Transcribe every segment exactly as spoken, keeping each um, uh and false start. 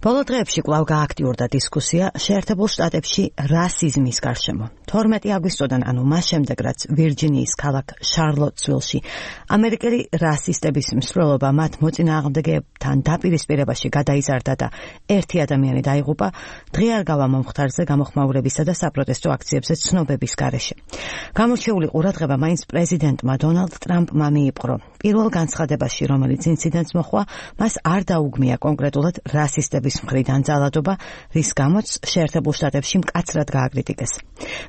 ბოლო დღეებში კვლავ გააქტიურდა დისკუსია შეერთებულ შტატებში რასიზმის გარშემო. თორმეტი აგვისტოდან, ანუ მას შემდეგ, რაც ვირჯინიის ქალაქ შარლოტსვილში ამერიკელი რასისტების მსვლელობა მათ მოწინააღმდეგეებთან დაპირისპირებაში გადაიზარდა და ერთი ადამიანი დაიღუპა, დღე არ გავა მომხდარზე გამოხმაურებისა და საპროტესტო აქციებზე ცნობების გარეშე. გამორჩეული ყურადღება მაინც პრეზიდენტმა დონალდ ტრამპმა მიიპყრო. პირველ განცხადებაში, რომელიც ინციდენტს მოჰყვა, მას არ დაუგმია კონკრეტულად რასისტების მხრიდან ძალადობა, რის გამოც შეერთებულ შტატებში მკაცრად გააკრიტიკეს.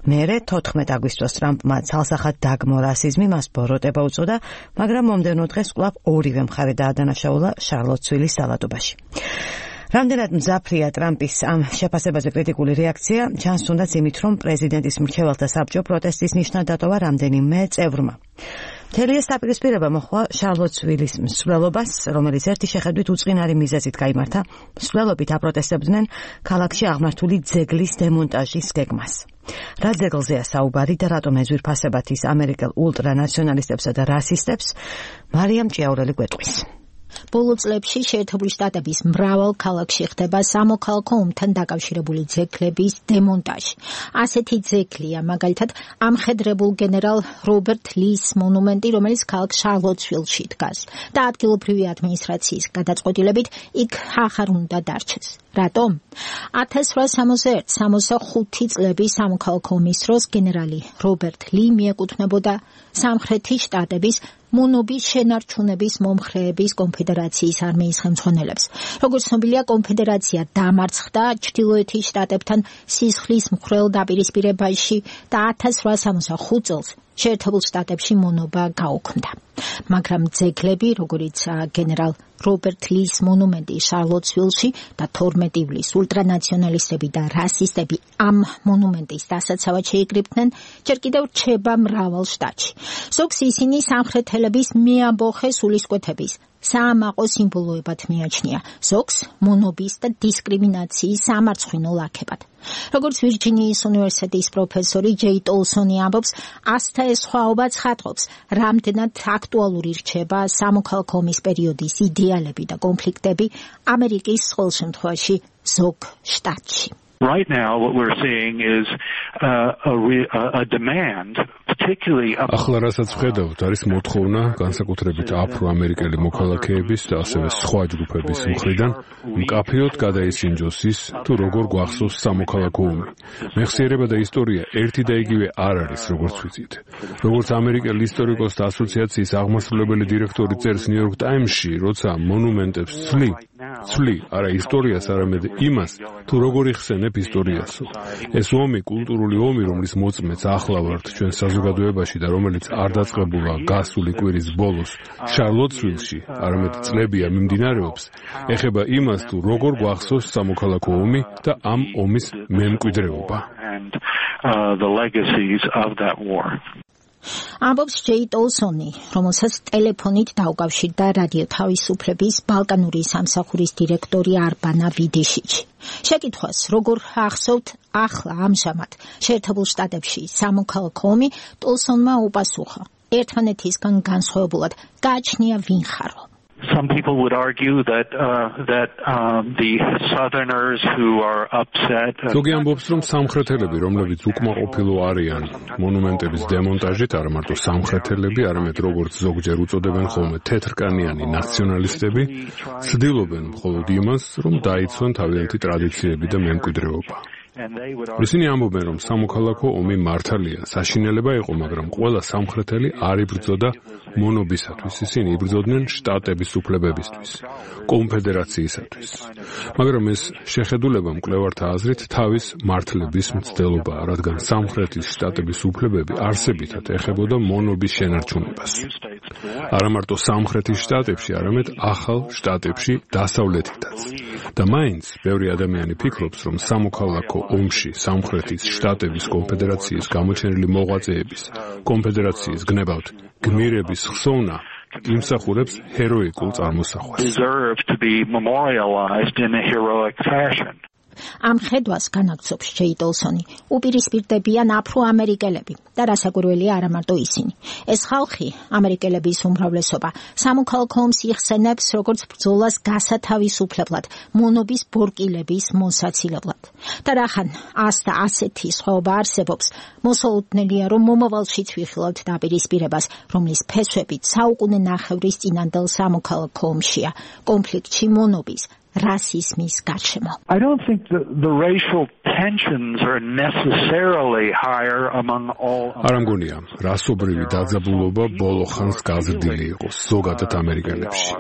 მერე თოთხმეტ აგვისტოს ტრამპმა ცალსახად დაგმო რასიზმი, მას ბოროტება უწოდა, მაგრამ მომდევნო დღეს კვლავ ორივე მხარე დაადანაშაულა შარლოტსვილის ძალადობაში. რამდენად მძაფრია ტრამპის ამ შეფასებაზე კრიტიკული რეაქცია, ჩანს თუნდაც იმით, რომ პრეზიდენტის მრჩეველთა საბჭო პროტესტის ნიშნად დატოვა რამდენიმე წევრმა. მთელი ეს დაპირისპირება მოჰყვა შარლოტსვილის მსვლელობას, რომელიც ერთი შეხედვით უწყინარი მიზეზით გაიმართა. მსვლელობით აპროტესტებდნენ ქალაქში აღმართული ძეგლის დემონტაჟის გეგმას. რა ძეგლზეა საუბარი და რატომ ეძვირფასებათ ის ამერიკელ ულტრანაციონალისტებსა და რასისტებს, მარიამ ჭიაურელი გვეტყვის. ბოლო წლებში შეერთებული შტატების მრავალ ქალაქში ხდება სამოქალაქო ომთან დაკავშირებული ძეგლების დემონტაჟი. ასეთი ძეგლია მაგალითად ამხედრებულ გენერალ რობერტ ლის მონუმენტი, რომელიც ქალაქ შარლოტსვილში დგას და ადგილობრივი ადმინისტრაციის გადაწყვეტილებით იქ ახარ უნდა დარჩეს. რატომ? ათას რვასამოცდაერთი სამოცდახუთი წლების სამოქალაქო ომის დროს გენერალი რობერტ ლი მიეკუთვნებოდა სამხრეთის შტატების მონობის შენარჩუნების მომხრეების კონფედერაციის არმიის ხელმძღვანელებს. როგორც ცნობილია, კონფედერაცია დამარცხდა ჩრდილოეთის შტატებთან სისხლის მხრელ დაპირისპირებაში და ათას რვასამოცდახუთ წელს შეერთებულ შტატებში მონობა გაუქმდა. მაგრამ ძეგლები, როგორიც გენერალ რობერტ ლის მონუმენტი შარლოტსვილში და თორმეტი ივლისს ულტრანაციონალისტები და რასისტები ამ მონუმენტის დასაცავად შეიკრიბნენ, ჯერ კიდევ რჩება მრავალ შტატში. ზოგს ისინი სამხრეთელების მეამბოხე სულისკვეთების საამაყო სიმბოლოებად მიაჩნია, ზოგს მონობის და დისკრიმინაციის სამარცხვინო ლაქებად. როგორც ვირჯინიის უნივერსიტეტის პროფესორი ჯეი ტოლსონი ამბობს, ასთა ეს სხვაობა ცხადყოფს, რამდენად აქტუალური რჩება სამოქალაქო ომის პერიოდის იდეალები და კონფლიქტები ამერიკის ყოველ შემთხვევაში ზოგ შტატში. Right now, what we're seeing is uh, a, re, a demand, particularly... ახლა რასაც ვხედავთ, არის მოთხოვნა განსაკუთრებით აფრო-ამერიკელი მოქალაქეების და ასევე სხვა ჯგუფების მხრიდან მკაფიოდ გადაისინჯოს ის, თუ როგორ გვახსოვს სამოქალაქო ომი. მეხსიერება და ისტორია ერთი და იგივე არ არის, როგორც ვიცით. როგორც ამერიკელ ისტორიკოსთა ასოციაციის აღმასრულებელი დირექტორი წერს ნიუ-იორკ ტაიმსში, როცა მონუმენტებს ცვლი, ცვლი არა ისტორიას, არამედ იმას, თუ როგორ იხსენებ ისტორიასო. ეს ომი კულტურული ომი, რომლის მოწმეც ახლა ვართ ჩვენ საზოგადოებაში და რომელიც არ დაწყებულა გასული კვირის ბოლოს შარლოტსვილში, არამედ წლებია მიმდინარეობს, ეხება იმას, თუ როგორ გვახსოვს სამოქალაქო ომი და ამ ომის მემკვიდრეობა. ამბობს ჯეი ტოლსონი, რომელსაც ტელეფონით დაუკავშირდა რადიო თავისუფლების ბალკანური სამსახურის დირექტორი არბანა ვიდეშიჩი. შეკითხვას, როგორ ახსოვთ ახლა ამჟამად შეერთებულ შტატებში სამოქალაქო ომი, ტოლსონმა უპასუხა. ერთმანეთისგან განსხვავებულად გააჩნია ვინ ხარო. Some people would argue that uh, that um, the Southerners who are upset. ზოგი ამბობს, რომ სამხრეთელები, რომლებიც უკმაყოფილო არიან მონუმენტების დემონტაჟით, არა მარტო სამხრეთელები, არამედ როგორც ზოგჯერ უწოდებენ ხოლმე თეთრკანიანი ნაციონალისტები, ცდილობენ მხოლოდ იმას, რომ დაიცვან თავიანთი ტრადიციები და მემკვიდრეობა. ისინი ამბობენ, რომ სამოქალაქო ომი მართალია, საშინელება იყო, მაგრამ ყველა სამხრეთელი არ იბრძოდა მონობისათვის, ისინი იბრძოდნენ შტატების უფლებებისთვის, კონფედერაციისათვის. მაგრამ ეს შეხედულება მკვლევართა აზრით თავის მართლების მცდელობაა, რადგან სამხრეთის შტატების უფლებები არსებითად ეხებოდა მონობის შენარჩუნებას. არა მარტო სამხრეთის შტატებში, არამედ ახალ შტატებში დასავლეთითაც. და მაინც ბევრი ადამიანი ფიქრობს, რომ სამოქალაქო ომში სამხრეთის შტატების კონფედერაციის გამოჩენილი მოღვაწეების კონფედერაციის გნებავთ გმირების ხსოვნა იმსახურებს ჰეროიკულ წარმოსახვას. ამ ხედვას განაგრძობს ჯეი დოლსონი. უპირისპირდებიან აფრო-ამერიკელები და რასაკვირველია არა მარტო ისინი. ეს ხალხი, ამერიკელების უმრავლესობა, სამოქალაქო ომს იხსენებს როგორც ბრძოლას გასათავისუფლებლად, მონობის ბორკილების მოსაცილებლად. და რახან ასთა ასეთი სხვაობა არსებობს, მოსალოდნელია, რომ მომავალშიც ვიხილავთ დაპირისპირებას, რომლის ფესვებით საუკუნე ნახევრის წინანდელ სამოქალაქო ომშია, კონფლიქტში მონობის, rasismis გარშემო. I don't think the, the racial tensions are necessarily higher among all. არ მგონია, რასობრივი დაძაბულობა ბოლო ხანს გაზრდილი იყოს ზოგადად ამერიკელებში.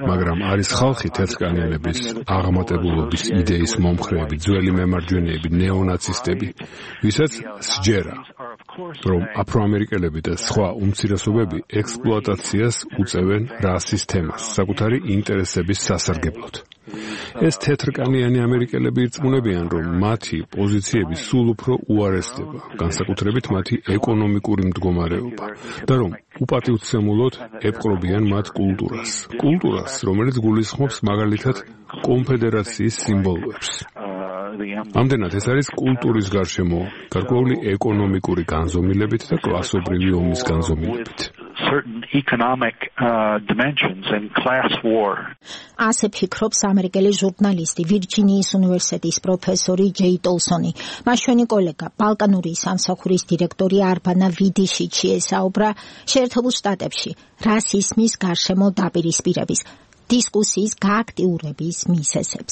მაგრამ არის ხალხი თეთრკანიანების აღმატებულობის იდეის მომხრეები, ძველი მემარჯვენეები, ნეონაცისტები, ვისაც სჯერა, რომ აფროამერიკელები და სხვა უმცირესობები ექსპლუატაციას უწევენ რასის თემას, საკუთარი ინტერესების სასარგებლოდ. ეს თეთრკანიანი ამერიკელები ირწმუნებიან, რომ მათი პოზიციები სულ უფრო უარესდება, განსაკუთრებით მათი ეკონომიკური მდგომარეობა, და რომ უპატივცემულოდ ეპყრობიან მათ კულტურას. კულტურას, რომელიც გულისხმობს მაგალითად კონფედერაციის სიმბოლოებს. ამდენად ეს არის კულტურის გარშემო, გარკვეული ეკონომიკური განზომილებით და კლასობრივი ომის განზომილებით. Certain economic uh, dimensions and class war. ასე ფიქრობს ამერიკელი ჟურნალისტი, ვირჯინიის უნივერსიტეტის პროფესორი ჯეი დოლსონი. მაშვენი კოლეგა, ბალკანური სამსახურის დირექტორი არბანა ვიდიშიჩი ესაუბრა შეერთებულ შტატებში რასიზმის გარშემო დაპირისპირების დისკუსიის გააქტიურების მიზეზებს.